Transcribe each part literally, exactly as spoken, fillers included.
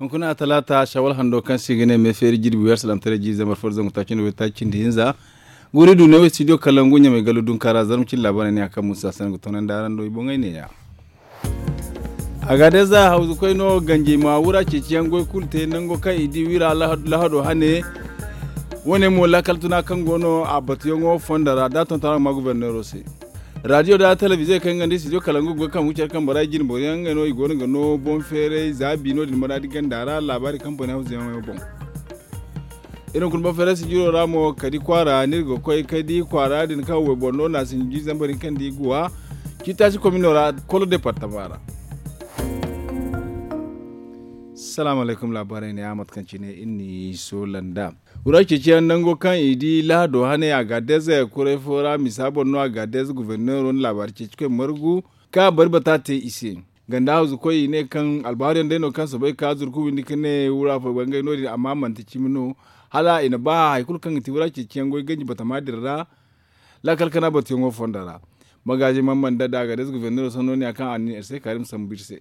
Kuna talaata shawal hando kaŋ se i ga ne me feeri jirbi wi alsalamtaray jiiri zambar fo da zangu taaci nda waytaaci cindi hinza. Guuri du ne wo studio kalangu ɲamay gallu dunkaara zarma cindi laabaarey ne a kaŋ musa sanaŋ ga toonandi araŋ do i boŋey neeya. A ga day za hawzu koy no ganjey ma wura ceeciyaŋ goy kulu te nango kaŋ i di wira lahado hane. Wo- ne mo laakal tuna kaŋ go no a batuyaŋo fondo ra da a tonton araŋ ma guberneero se. Raadiyo da telebize kaŋ nga nda studio kalangu goy kaŋ ga care kaŋ bora i jine boro yaŋ ngey no i go no ga no boŋ feeray za bi no- din maraadi ganda ra laabaari kaŋ bone hawzu yaŋo boŋ. Iri hunkuna boŋ feeray sijiro ra mo kadi kwaara no iri ga koy kadi kwaara din kaŋ wayboro no no a sinji jiiri zambar hinka nda i guwa. Ciitaasi komino ra kolo departama ra. Salaamu alaykum laabaarey ne a mate kaŋ cine iri n'i soola nd'a. Wura ceeciyaŋ nango kaŋ i di lahado hane a ga deeze kuray fo ra misa boŋ no a ga deeze guberneero nda laabaari ceeci koy margu kaŋ a bari bata te i se. Ganda hawzu koy i ne kaŋ albaharu yaŋ day no kaŋ soobay ka zurku windi ka ne wura fo bangay no- din amma manti cimi no. Hala i na ba hari kulu kaŋ ga ti wura ceeciyaŋ goy ganji batama din ra. Laakal kana batuyaŋo fondo ra. Magaazi man man da da a ga deeze guberneero sanno ne a kaŋ a na iri se kaari ma sambu iri se.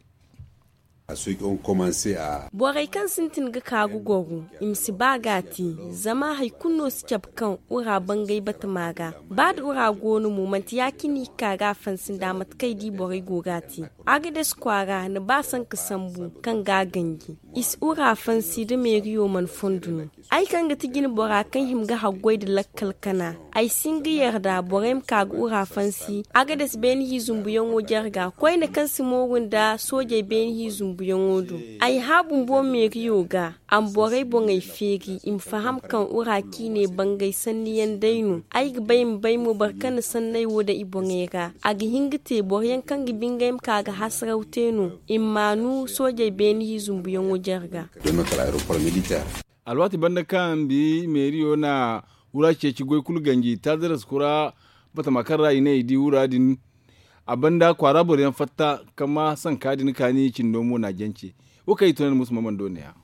Borey kaŋ sintin ga ka ga goro i ma si ba ga a te. Zama hari kulu no si cabe kaŋ wura bangay batama ga. Ba da wura go no mo manti ya- cine i ga ka ga a fansi nda mate kaŋ ay di borey go ga a te. Agades kwaara ni ba sanka sambu kaŋ ga a ganji. I si wura fansi da meeriyo mana fondo no. Ay kaŋ ga ti jine bora kaŋ hima ga haggoy nda lakkal kana. Ay si hin ga yarda borey ma ka ga wura fansi agades beene hizumbuyaŋo jarga koyne kaŋ si mooru nda soojey beene hizumbuyaŋo do. Ay hã bumbo meeriyo ga a ma borey boŋey feeri i ma faham kaŋ wura ciine bangay sanniyaŋ day no. Ay ga bay ma bay mo boro kaŋ na sanney wo daŋ i boŋey ra a ga hin ga te boro yaŋ kaŋ ga bingay ma ka ga hasaraw te no. I ma maanu soojey beene hizumbuyaŋo jarga. Alwaati banda kaŋ bi meeriyo na wura ceeci goy kulu ganji taadaras kura batama kaŋ ra i ne i di wura din. A banda kwaara boro yaŋ fatta kaŋ ma sanka din kaani cindo mo na jance. Wo kaŋ i tunandi musu ma mana do ne- ya.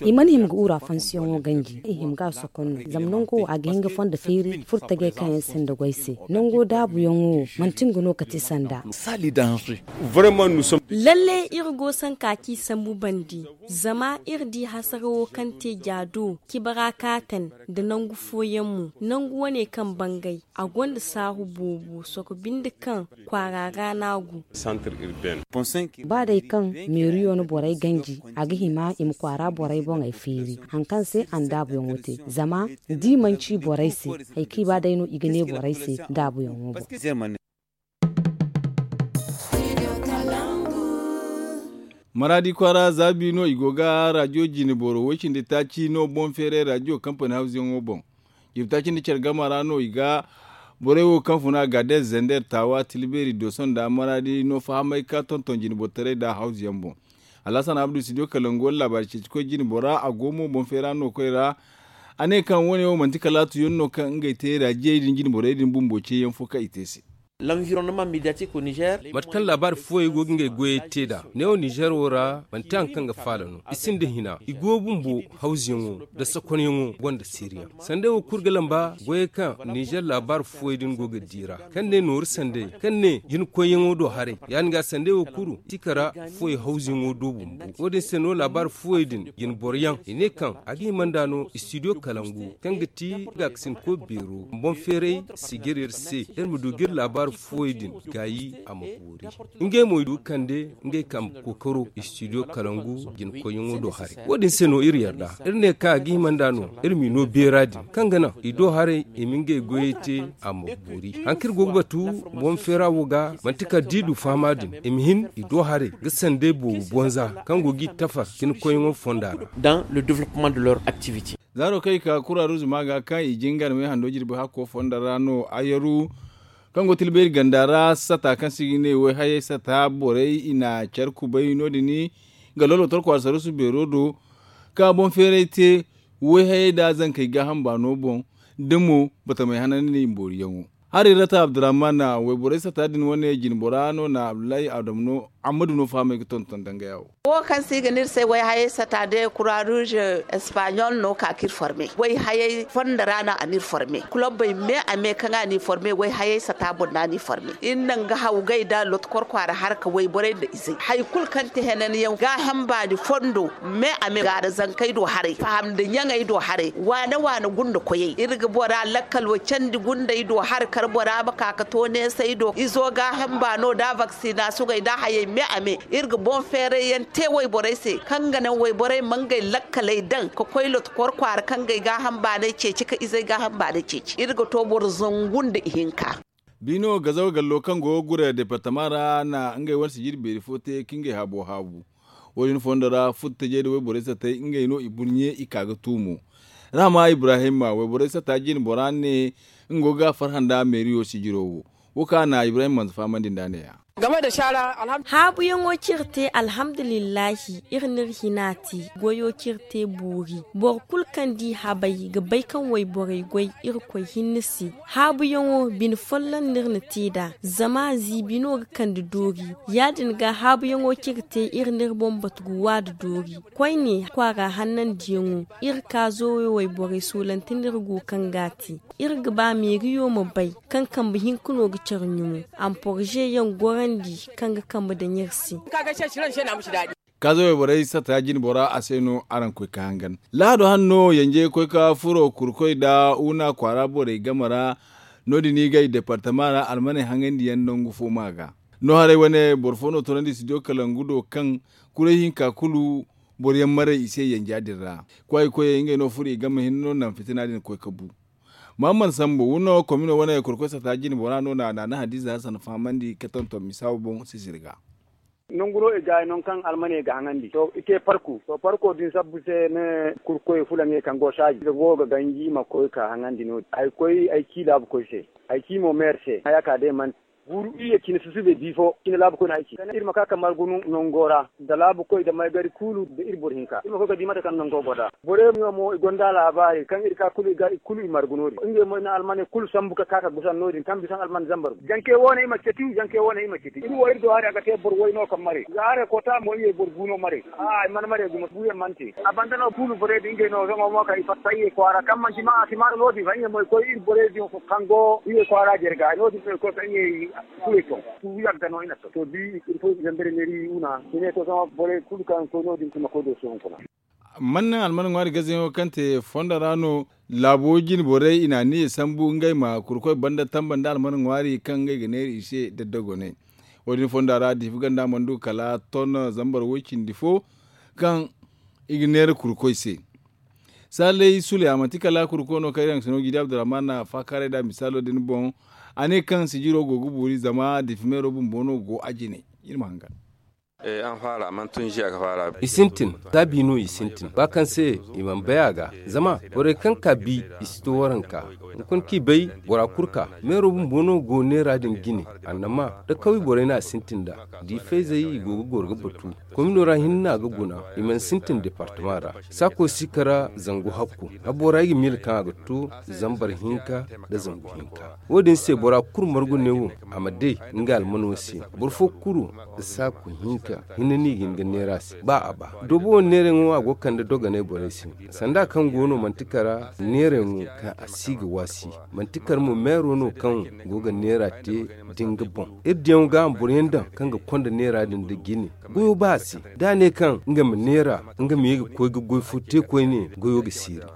I mana hima ga wura fansiyaŋo ganji i hima ga a sokon no zama nango wo a ga hin ga fondo feeri furtajey kaŋ yaŋ sinda goy se. Nango daabuyaŋo wo manti nga no ga ti sanda. Lalle iri go sanka ci sambu bandi. Zama iri di hasarawo kaŋ te ja do cibara kaatan nda nangu fooyaŋ mo nangu wane kaŋ bangay a gonda saahu boobo soko binde kaŋ kwaara ra no a go. Ba day kaŋ meeriyo na borey ganji a ga hima i ma kwaara borey boŋey feeri hari kaŋ se andaabuyaŋo te zama da i manci borey se hari kaŋ i ba day no i ga ne borey se daabuyaŋo boŋ. Maraadi kwaara zaabi no i go ga raadiyo jine boro woy cindi taaci no boŋ feeray raadiyo kampani hawzuyaŋo boŋ. Jirbi taaci nda care gama ra no i ga borey wo kaŋ funa gaadez zender taawa tilbeeri dooso nda maraadi no fahamay ka tonton jine boro taray nda hawzuyaŋ boŋ. Alhasan abdu studio kalangu wala laabaari ceeci koy jine bora a go mo boŋ feera no koy ra. A ne kaŋ wo- ne wo manti kalaatuyaŋ no kaŋ ngey te raadiyey din jine borey din bumbo ceeyaŋ fo kaŋ i te se. Mate kaŋ laabaari fooyey go ga ngey goyey te nd'a neewo ninzeer wo ra manti hari kaŋ ga faala no i sinda hina i go bumbo hawzuyaŋo nda sakonyaŋo gonda seeriyaŋ. Sanday wo kulu ga lamba goyey kaŋ ninzeer laabaari fooyey din go ga di ra kaŋ ne nooru sanday kaŋ ne jinakoyyaŋo do haray ya- din ga sanday wo kulu si kara fooyey hawzuyaŋo do bumbo. Wo- din se no laabaari fooyey din jinboroyaŋ i ne kaŋ a ga hima nd'a no istidiyo kalangu kaŋ ga ti gaakasinko beero boŋ feeray si jare iri se iri ma du ga iri laabaari fooyey din gaayi a ma boori. Ngey mo i du ga kande ngey kambe kookaro istidiyo kalangu jinakoyyaŋo do haray. Wo- din se no iri yarda iri ne kaŋ a ga hima nd'a no iri m'i no beera din kaŋ ga naŋ i do haray i ma ngey goyey te a ma boori. Hari kaŋ iri go ga batu boŋ feera wo ga manti kala da i du fahama din i ma hin i do haray ga sanday boobo bonza kaŋ go ga i tafar jinakoyyaŋo fonda ra. Zaaro kaŋ i ka kura ruuzuma ga kaŋ i jingar me hando jirbi hakko fonda ra no ayaru kaŋ go tilbayri ganda ra sata kaŋ se i ga ne wayhayey sata borey i na care kubay no- din ga lolo torko alsarusu beero do ka boŋ feeray te wayhayey nda zankey gaaham baano boŋ da mo batamey hanandi nda i booriyaŋo. Hari rata abdurrahman, wayborey sata din wane jinbora no na abdullahi adamu no. Amma du no fahamay ga tonton danga yawo. Wo kaŋ se i ga ne iri se wayhayey sata day kura ruuze espanyol no ka ka iri forme wayhayey fondo ra no a na iri forme kulobey me a me kaŋ a na i forme wayhayey sata boŋ no a na i forme. Iri naŋ ga hawgay nda loto korkwaara harka wayborey nda izey hari kulu kaŋ ti henanyaŋ gaaham baani fondo me a me gaara zankey do haray faham nda ɲaŋey do haray waane waane gunda koyey iri ga bora lakkal wo candi gundey do hari kar bora ma ka ga to neesey do izo gaaham baano nda vaksina sugay nda hayey me a me. Iri ga boŋ feeray yaŋ te wayborey se kaŋ ga naŋ wayborey ma ngey lakkaley daŋ ga koy loto korkwaara kaŋ ga ay gaaham baanay ceeci ka izey gaaham baanay ceeci iri ga to boro zangu nda ihinka. Biino gazaw gallo kaŋ go ga gure departama ra na ngey wane sijiri beeri fo te ka ngey habo haabu. Wo- din fondo ra futtajey nda wayborey satey ngey no i burɲe i ka ga tuumo. Rahama ibrahima wayborey sata jine bora ne nga go ga farhã nda meeriyo sijiro wo. Wo kaŋ a na ibrahim manza fahamandi nd'a ne- ya. Haabuyaŋo kaŋ iri te alhamdulillahi iri n'iri hina te. Goyo kaŋ iri te boori boro kulu kaŋ di habay ga bay kaŋ wayborey goy irkoy hinne se. Haabuyaŋo bine folloŋ no iri na te nd'a zama ziibi no ga kande doori. Ya- din ga haabuyaŋo kaŋ iri te iri n'iri boŋ batu ga wa nda doori. Koyne kwaara hannandiyaŋo iri ka zoowey wayborey soolante no iri go kaŋ ga a te. Iri ga ba meeriyo ma bay kaŋ kambe hinka no ga care ɲumo. A ma porze yaŋ gorandi kaŋ ga kambe daŋ iri se. Kaaza wayborey sata jine bora a se no araŋ koy ka hangan. Lahado hanno yanjey koy ka furo kurkoy nda wuna kwaara borey game ra. No- din i gay departama ra almaney haŋandiyaŋ nangu fo ma ga. No haray wane boro fo no toonandi studio kalangu do kaŋ kuray hinka kulu boro yaŋ maray i se yanja din ra. Kwaayi koyey ngey no furo i game hinne no naŋ fitina din koy ka bu. Mahamman sambu wuna komino wane kurkoy sata jine bora no na naana hadiza hassan fahamandi ka tonton misa wo boŋ sisiri ga. Nangu no i ga ay non kaŋ almaney ga haŋandi to i te parku to parko din sabbu se ne. Kurkoy fulaŋey kaŋ go saaji ga go ga ganji ma koy ka haŋandi no- din ay koy ay ci laabukoy se. Ay ci mo meer se haya ka day man guuru iyye cine susube bi fo cine laabukoy no ay ci kala iri ma ka ka margu nango ra. Nda laabukoy nda maygari kulu nda iri boro hinka iri ma koy ga di mate kaŋ nango go nd'a. Borey mo i gonda laabaari kaŋ iri ka kulu i margu no- din ngey mo i na almaney kulu sambu ka ka ka gusan no- din kaŋ bisa alman zambar. Janke wo- ne i ma ceti janke wo- ne i ma ceti iri wo iri do hari a ga te boro way no kaŋ mare za haray koota mo iyye boro gu no mare. Ay mana mare gumo buuyaŋ mana te. A banda no kulu borey din ngey no zama mo kaŋ i fatta iyye kwaara kaŋ manti ma a si maana no- din fa iyye mo i koy iri borey din kaŋ go iyye kwaara jarga no- din no i koy kaŋ iyye. Kulu i ton. Fu yagga no i na ton to bi iri fo i zambar neeri i wuna i ne to zama borey kulu kaŋ koy no- din i ma koy do sohõ kuna. Man naŋ alman ŋwaari gazayaŋo kaŋ te fondo ra no. Laabo jine borey i na aniya sambu ngey ma kurkoy banda tamba nda alman ŋwaari kaŋ ngey ga neera i se daddagoney. Wo- din fonda ra diifa ganda mana du kala ton zambar woy cindi fo kaŋ i ga neera kurkoy se. Saalay sule a manti kala kurkoy no kaŋ iri haŋ ga sino jiidi abdurrahman na faakaaray nd'a misaalo din boŋ. A ne kaŋ sijiro go ga boori zama diifa meero bumbo no go a jine. Iri ma hangan. I sintin taabi no i sintin ba kaŋ se i mana bay a ga. Zama borey kaŋ ka bi i si to waranka. Hunkuna kaŋ i bay bora kulu ka meero bumbo no go neera din jine. Annama da kawye borey no a sintin nd'a. Diifayzey i go ga goro ga batu. Komino ra hinne no a ga guna. I mana sintin departama ra. Saako si kara zangu hakku. Habora i ga miila kaŋ a ga to zambar hinka nda zangu hinka. Wo- din se bora kulu margu ne wo a ma day nga almano se. Boro fo kulu saaku hinka hinne no i ga hin ga neera se ba a ba. Doobo wo neerayaŋo a go ga kande dogonay borey se. Sanda kaŋ go no manti kara neerayaŋo kaŋ a si ga waasi. Manti kara mo meero no kaŋ go ga neera te da nga boŋ. Iri diyaŋo ga a ma boroyaŋ daŋ kaŋ ga konda neera din da jine. Goyo ba a se da a ne kaŋ nga ma neera nga ma ye ga koy ga goy fo te koyne goyo ga siiri.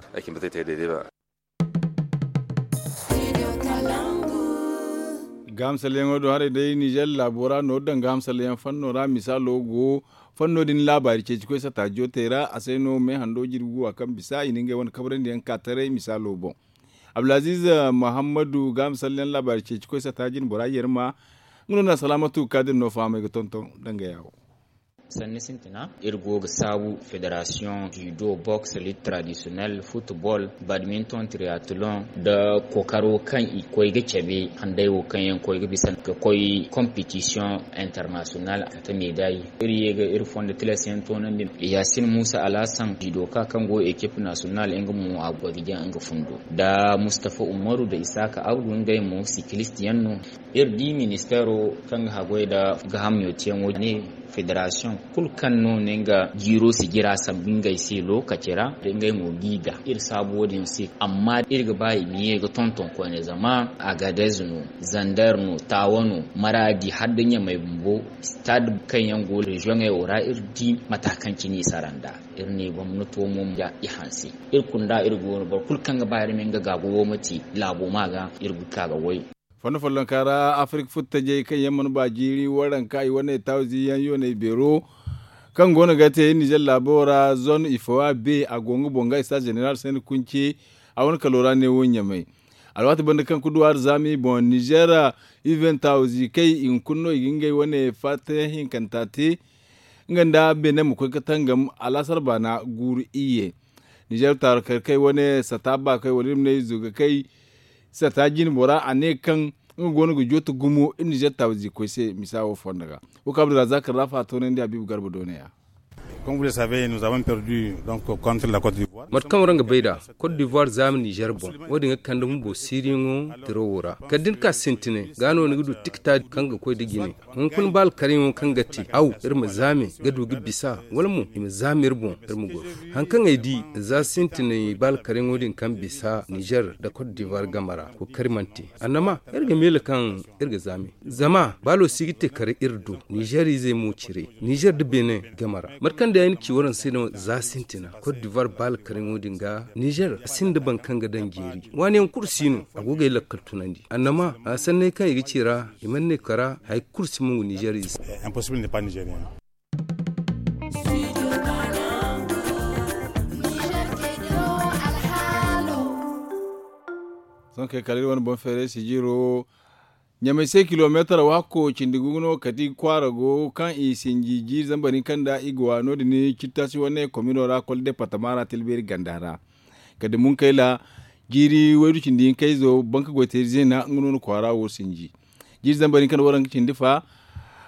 Gahamsalyaŋo do haray day nizer laabo ra nooru daŋ gahamsalyaŋ fanno ra misaalo go. Fanno din laabaari ceeci koy sata jootey ra a se no meehando jirbi guwa kaŋ bisa i na ngey wane kabrandi yaŋ ka taray misaalo boŋ. Abdulaziz muhammadu gahamsalyaŋ laabaari ceeci koy sata jine bora yerma. Nga no na salaamatu kaadir no fahamay ga tonton danga yaawo. Sanni sintina, iri go ga saabu federasiyoŋ, judo, box, lit tradisiyonel, futbol, badminton, triathlon, nda kookaro kaŋ i koy ga cabe handay wo kaŋ yaŋ koy ga bisa ga koy kompetisiyoŋ internasiyonal, a ta meedayi. Iri ye ga iri fondo tilas yaŋ toonandi. Yaasin Muusa Alhasan, judoka kaŋ go ekip nasiyonal, nga mo a go ga jaŋ nga fundo, nda Mustafa Umaru nda Isaaka Abdu, ngey mo sikilist yaŋ no. Iri di ministeero kaŋ ga haggoy nda gaaham yootiyaŋo ne, federasiyoŋ kulu kaŋ no ne nga jiiro si jira sambu ngey se lookaci ra, da ngey mo g'i ga iri saabu wo-din se. Amma iri ga ba i ma ye ga tonton koyne, zama Agadez no, Zander no, Tawa no, Maradi, hala da Ɲamay bumbo, stade kaŋ yaŋ go reziyoŋey wo ra, iri di mata kaŋ cine i sara nd'a. Iri ne gomnato mo ma ja i hanse. Iri kunda iri go no, boro kulu kaŋ ga ba iri ma nga gaagu wo ma te laabo ma ga, iri ga ka ga way. Fondo follonka ra, Afirik futtajey kaŋ yaŋ mana ba jiiri waranka i wane tawzi yaŋ yoonay beero kaŋ go no ga te Nizer laabo ra, zone Ifowa B, a go nga boŋ ga Estade Zeneral Sani Kunce, a wane kalo ra neewo Ɲamay. Alwaati banda kaŋ kuduwaari zaami boŋ Nizer, U vingt tawzi kay i hunkuna no i ga ngey wane fatta yaŋ hinkanta te, nga nda Benin ma koy ga tangam alaasar baana guuru iyye. Nizer taarikey kay wane sata ba kay wala iri ma ne izo ga kay sata jine bora, a ne kaŋ nga go no ga jooto gumo iri Nizer taawizi koy se misa wo fonda ga. Wo kaŋ Abdulrazak Rafa a toonandi Habibu Garba do ne-ya. Comme vous le savez, nous avons perdu donc contre la Côte d'Ivoire. Mate kaŋ waraŋ ga bay nd'a, Côte d'Ivoire zaama Nizer boŋ. Wo-din ga kande bumbo siiriyaŋo tiro wo ra. Kala da ni ka sintinay, ga no ni ga du tikita kaŋ ga koy da jine. Hunkuna ba alkaryaŋo kaŋ ga te, aw, iri ma zaame ga du ga bisa, wala mo i ma zaame iri boŋ, iri ma goro. Haŋ kaŋ ay di, za sintinay ba alkaryaŋo din kaŋ bisa Nizer nda Côte d'Ivoire game ra, kookari mana te. Annama, iri ga miila kaŋ iri ga zaame. Zama baalo si ga te kare iri do, Nizer izey mo cire. Nizer nda Benin game ra. Mate kaŋ day ay na ci waraŋ se no za sintina, Côte d'Ivoire ba alkaryaŋo din ga, Nizer a sinda boro kaŋ ga daŋ jeeri. Waaniyaŋ kulu si no, a go ga ay lakkal tunandi. Annama, a sanney kaŋ i ga ci ra, i mana ne kara, hari kulu si mongu Nizer ize. Impossible n'est pas nigérien. Sohõ kay kala iri wane boŋ feeray sijiro. Ɲamay se kilomeetar waako cindi gugu no kati kwaara go kaŋ i sinji jiiri zambar hinka nda i ga wa no-din cittasi wane komino ra kol departama ra tilbeeri ganda ra. Kala da Munkayla jiiri waydu cindi hinka izo banka goyteeri zeena nga no na kwaara wo sinji. Jiiri zambar hinka nda waranka cindi fa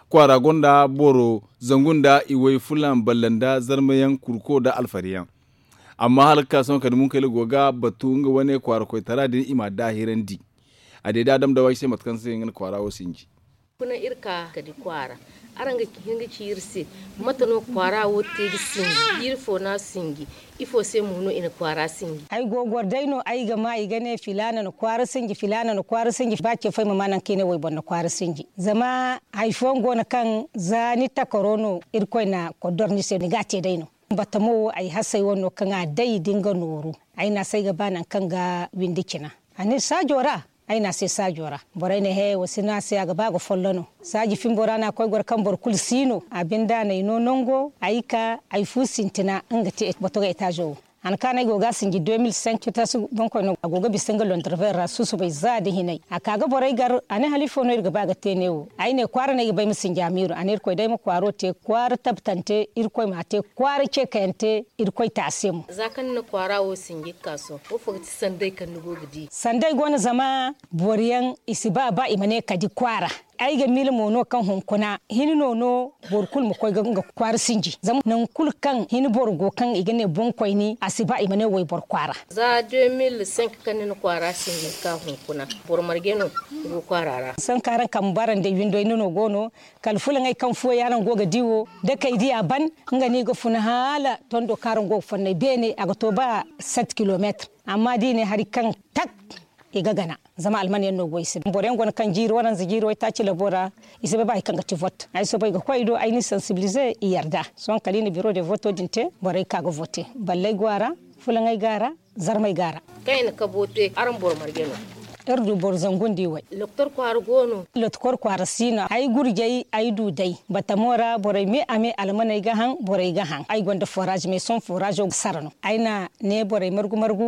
kwaara gonda boro zangu nda iway fulan balla nda zarmayaŋ kurko nda alfariyaŋ. Amma hala ga ka sohõ kala da Munkayla go ga batu nga wane kwaara koytara din i m'a daahirandi. A deeda Adam Dawa i se mate kaŋ se nga na kwaara wo sinji. Kuna iri ka ka di kwaara. Araŋ ga hin ga ci iri se mate no kwaara wo te ga sinji, jiiri fo no a sinji, ifo se mo no i na kwaara sinji? Ay go goro day no ay ga ma i ga ne filaana na kwaara sinji, filaana na kwaara sinji, ba ce fo ay ma ma nangu kaŋ i ne wayboro na kwaara sinji. Zama hari fooyaŋ go no kaŋ za ni takaro no Irkoy na kodor ni se ni ga a te day no. Batamo wo ay hasey wane no kaŋ a day da nga nooru. Ay ne a se ay ga ba nangu kaŋ ga windi cina. A ne saajo ra. Ay ne a se saajo ra. Borey ne he, wa si ne a se a ga ba ga follo no. Saaji fimbo ra no a koy goro kaŋ boro kulu si no. A bindaanay no nango ay ka ay fu sintina nga te bato ga etaazo wo. Han kaŋ ay go ga a sinji deux mille cinq tasi boŋkoy no a go ga bisa nga londorver ra susubay za da hinay. A ka ga borey gar, a ne hala ifo no iri ga ba ga te neewo. Ay ne kwaara no ay ga ba ay ma sinji amiiru. A ne Irkoy day ma kwaaro te kwaara tabtante, Irkoy m'a te kwaara ce kayante. Irkoy te a se mo. Za kaŋ ni na kwaara wo sinji ga ka sohõ, woofo ga ti sanday kaŋ ni go ga di? Sanday go no zama boro yaŋ i si ba, ba i ma ne kadi kwaara. Ay ga miila mo no kaŋ hunkuna hini no, no boro kulu ma koy ga nga kwaara sinji. Zama nangu kulu kaŋ hini boro go kaŋ i ga ne boŋkoyni, a si ba i ma ne wayboro kwaara. Za deux mille cinq kaŋ ni na kwaara sinji ga ka hunkuna, boro marje no go kwaara ra? Sohõ kaŋ araŋ kambe araŋ day windo hinne no go no, kala fulaŋey kaŋ fuwo yaŋ araŋ go ga di wo, da kay diya ban, nga no i ga funa hala tondo kaŋ araŋ go ga fonnay beene, a ga to ba sept kilomètres. Amma da i ne hari kaŋ tak, i ga gana. Zama alman yaŋ no go i se. Boro yaŋ go no kaŋ jiiri waranza jiiri waytaaci labo ra, i si bay ba hari kaŋ ga ti vote. Ay soobay ga koy i do, ay n'i sensibiliser, i yarda. Sohõ kala i na bureau de voto din te, borey ka ga vote. Balley go a ra, fulaŋey go a ra, zarmey go a ra. Kaŋ i na kabo te, araŋ boro marje no? Iri du boro zangu nda iway. Doktor kwaara go no? Doktor kwaara si no. Ay gurjay, ay du day. Batamo ra borey me a me almaney ga haŋ, borey ga haŋ. Ay gonda forage, mais sohõ forazo ga sara no. Ay na ne borey margu-margu.